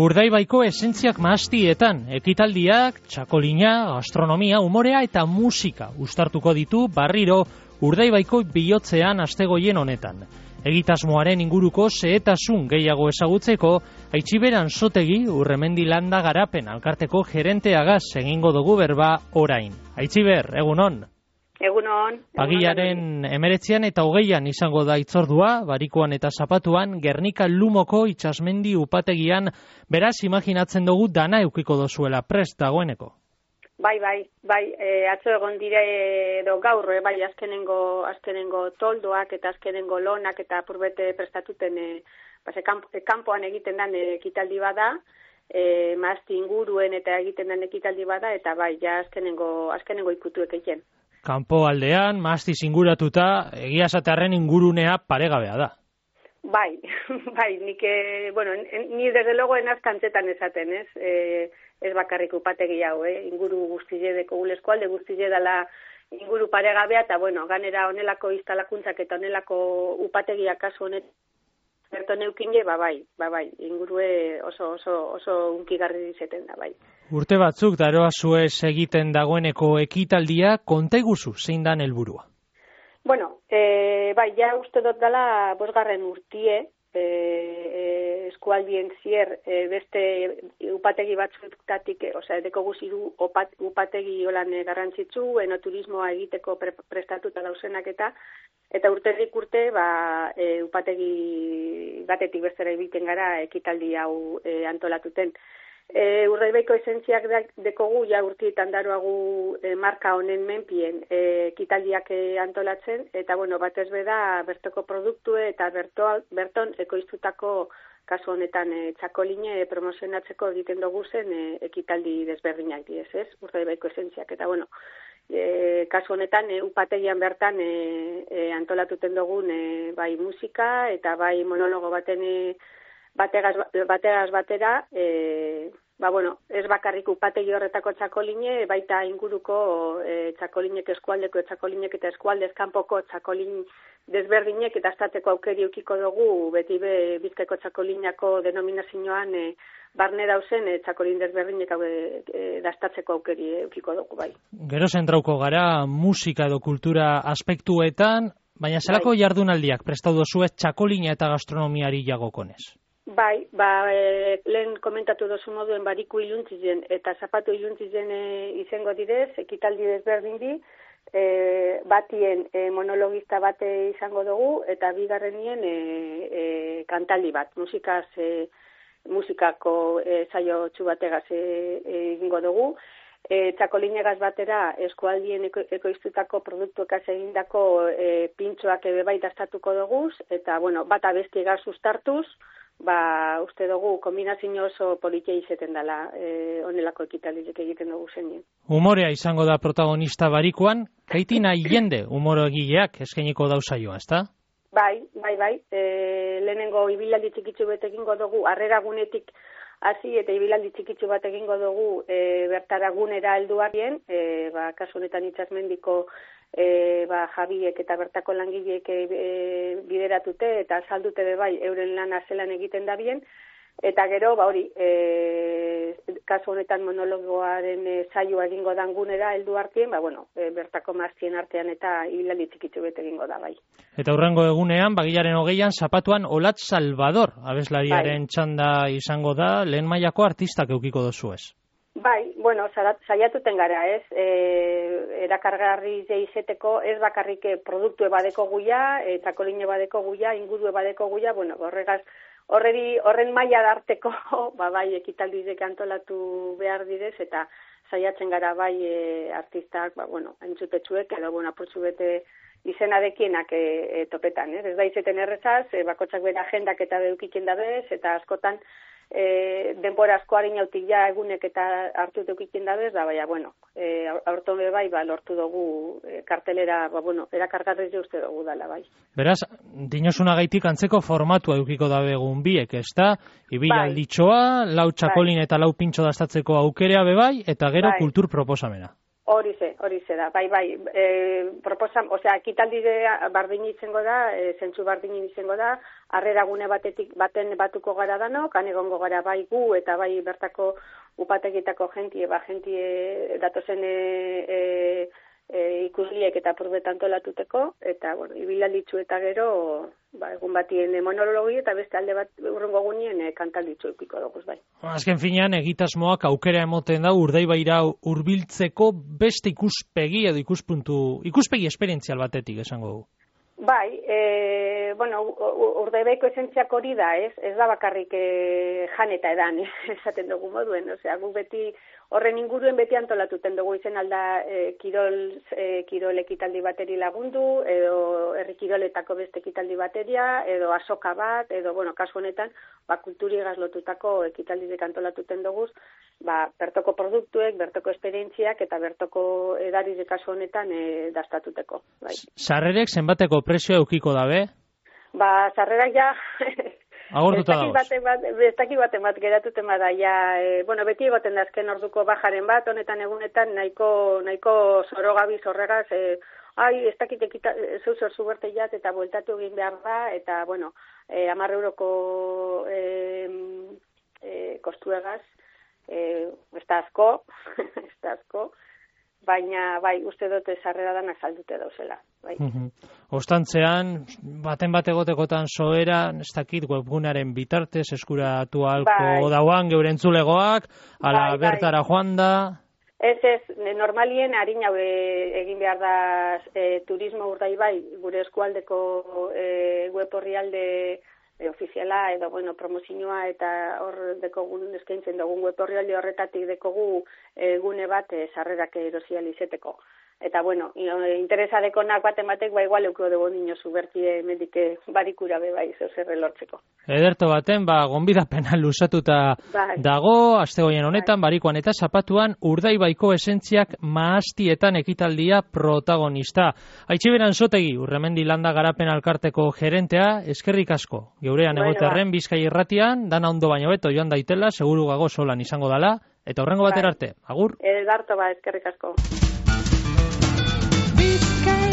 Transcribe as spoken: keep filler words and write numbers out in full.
Urdaibaiko esentziak mahastietan, ekitaldiak, txakolina, gastronomia, umorea eta musika uztartuko ditu berriro Urdaibaiko bihotzean astegoien honetan. Egitasmoaren inguruko xehetasun gehiago ezagutzeko, Aitziber Anzotegi Urremendi Landa Garapen Alkarteko gerenteagaz egingo dugu berba orain. Aitziber, egunon. Egunon. Pagilaren emeretzian eta hogeian izango da itzordua, Barikuan eta Zapatuan, Gernika Lumoko itsasmendi upategian, beraz imaginatzen dugu dana eukiko dozuela prest dagoeneko. Bai, bai, bai, e, atzo egon dire edo gaur, e, bai, azkenengo, azkenengo toldoak eta azkenengo lonak eta apurbete prestatuten, e, base, kamp, e, kanpoan egiten den e, ekitaldi bada, e, mazti inguruen eta egiten den ekitaldi bada, eta bai, ja azkenengo, azkenengo ikutuek egiten. Kanpo aldean, mazti inguratuta, egia esatearren ingurunea paregabea da. Bai, bai, nik, e, bueno, ni desde logo enaz kantzetan esaten, ez? E, ez bakarrik upategi hau, eh? Inguru guztile deko gulesko alde guztile dela inguru paregabea, eta bueno, ganera onelako instalakuntzak eta onelako upategiak kasu honet berto neukine, ba bai, ba bai, ingurue oso, oso, oso unkigarri dizeten da, bai. Urte batzuk daroa zuez egiten dagoeneko ekitaldia, konta iguzu zein dan helburua? Bueno, e, bai, ja uste dut dela bosgarren urtie, e, e, eskualdien zier e, beste upategi batzutatik, e, osea, edeko guziru upat, upategi holan e, garrantzitsu, enoturismoa egiteko pre, prestatuta dausenak eta eta urterik urte, ba, e, upategi batetik bestera egiten gara ekitaldi hau e, antolatuten. E, Urdaibaiko esentziak dekogu, ja urtietan daroagu e, marka honen menpien e, ekitaldiak e, antolatzen, eta bueno, batez beda bertoko produktue eta berto, berton ekoiztutako kasu honetan e, txakoline e, promozionatzeko egiten dugu zen e, ekitaldi desberdinak diez, ez? Urdaibaiko esentziak, eta bueno, e, kasu honetan e, upategian bertan e, e, antolatuten dugun e, bai musika eta bai monologo baten e, bategaz, bategaz batera, e, ba, bueno, ez bakarrik upategi horretako txakoline, baita inguruko e, txakolinek eskualdeko txakolinek eta eskualdez kanpoko txakolin desberdinek eta astatzeko aukeri eukiko dugu, beti be Bizkaiko txakolinako denominazioan e, barne dauzen e, txakolin desberdinek e, e, dastatzeko aukeri eukiko dugu, bai. Gero zentrauko gara musika edo kultura aspektuetan, baina zelako bai. Jardunaldiak prestatu dozue txakolina eta gastronomiari jagokonez? Bai, ba, e, lehen komentatu dozu moduen Bariku iluntzien eta Zapatu iluntzien e, izango direz, ekitaldi desberdin di, e, batien e, monologista bate izango dugu, eta bigarrenien e, e, kantaldi bat, musikaz, e, musikako e, saio txubategaz egingo e, dugu. E, txakolinegaz batera eskualdien eko, ekoiztutako produktuekaz egindako e, pintxoak ebe bai dastatuko dugu, eta bueno, bat abestiegaz ustartuz, ba, uste dugu, kombinazio oso politia izeten dela e, onelako ekitaldiek egiten dugu zenien. Umorea izango da protagonista Barikuan, kaitina jende umoro egileak eskainiko dauzaioa, ezta? Bai, bai, bai, e, lehenengo ibilaldi txikitzu bat egingo dugu, harrera gunetik hasi eta ibilaldi txikitzu bat egingo dugu e, bertara gunera helduarien, e, ba, kasu honetan itsasmendiko E, ba, jabiek eta bertako langileek e, bideratute eta azaldute be bai euren lana zelan egiten da bien, eta gero ba hori e, kasu honetan monologoaren e, saioa egingo dan gunera heldu artien, ba bueno, e, bertako maztien artean eta hilaldi txikitzu bete egingo da bai. Eta hurrengo egunean, bagilaren hogeian, Zapatuan Olatz Salvador abeslariaren bai. Txanda izango da, lehen mailako artistak eukiko dozu ez? Bai, bueno, saiatuten gara, ez, e, erakargarri izeteko, ez bakarrik produktu badeko guia, e, txakoline badeko guia, inguru badeko guia, bueno, horregaz, horreri, horren maila darteko, ba, bai, ekitaldizek antolatu behar direz, eta saiatzen gara, bai, e, artistak, ba, bueno, entzutetsuek, edo, bueno, apurtzu bete izenadekienak e, e, topetan, ez, ez da izeten errezaz, e, bakotxak bera agendak eta beukiken dabez, eta askotan, E, denbora asko harinautik ja egunek eta hartu deukiken dabez, da baina, bueno, e, aurton be bai, ba, lortu dugu e, kartelera, ba, bueno, erakargarri uste dugu dala, bai. Beraz, dinosunagaitik antzeko formatua edukiko dabe egun biek, ez da? Ibialditxoa, lau txakolin bai. Eta lau pintxo dastatzeko aukerea be bai, eta gero bai. Kultur proposamena. Hori ze, hori ze da, bai, bai, e, proposan, osea, ekitaldi bardin izango da, e, zentzu bardin izango da, harrera gune batetik, baten batuko gara danok, han egongo gara bai gu, eta bai bertako upategitako jentie, ba, jentie datozen e, e, e, ikusliek eta purbetan tolatuteko, eta, bueno, ibilalditzu eta gero, ba, egun batien monologi eta beste alde bat urrengo gunien e, kantalditzu eukiko dugu, bai. Azken finean, egitasmoak aukera emoten da Urdaibaira hurbiltzeko beste ikuspegi edo ikuspuntu, ikuspegi esperientzial batetik esango dugu. Bai, e, bueno, Urdaibaiko esentziak hori da, ez? Ez da bakarrik e, jan eta edan, esaten dugu moduen, osea, gu beti horren inguruen beti antolatuten dugu izen alda e, kirol, e, kirol ekitaldi bateri lagundu, edo herri kiroletako beste ekitaldi bateria, edo asoka bat, edo, bueno, kasu honetan, ba, kulturi lotutako ekitaldiek antolatuten dugu, ba, bertoko produktuek, bertoko esperientziak eta bertoko edarize kasu honetan e, dastatuteko. Bai. Sarrerek zenbateko prezioa eukiko dabe? Ba, sarrerak ja... Agortuta dagoz. Bestaki baten bat geratuten bada, ja, e, bueno, beti egoten da azken orduko bajaren bat, honetan egunetan nahiko, nahiko zorogabi zorregaz, e, ai, ez dakit ekita, zeu zor zuberte jat, eta bueltatu egin behar da, eta, bueno, e, amar euroko e, e, kostuegaz, e, ez da asko, ez da asko, baina, bai, uste dute sarrera danak saldute dauzela. Bai. Uh-huh. Ostantzean, baten bat egotekotan soera, ez dakit, webgunaren bitartez, eskuratu halko bai. Dauan geure entzulegoak, ala bai, bertara bai. Joan da... Ez, ez, normalien harin hau egin behar da e, turismo Urdaibai, gure eskualdeko e, web orrialde e, ofiziala, edo, bueno, promozioa eta hor dekogun eskaintzen dugun web orrialde horretatik dekogu e, gune bat e, sarrerak erosial izeteko. Eta, bueno, interesa dekonak baten batek, ba, igual euko dugu nino zubertie medike barikura be bai, zeuzerre lortzeko. Ederto baten, ba, gonbidapena lusatuta bai. Dago, astegoien honetan, bai. Barikoan eta zapatuan, Urdaibaiko esentziak mahastietan ekitaldia protagonista. Aitziberan Sotegi, Urremendi Landa Garapen Alkarteko gerentea, eskerrik asko. Geurean bueno, egoterren ba. Bizkai irratian, dana ondo baino beto joan daitela, seguru gago solan izango dala, eta horrengo batera arte. Agur? Edarto ba, eskerrik asko. Bizkai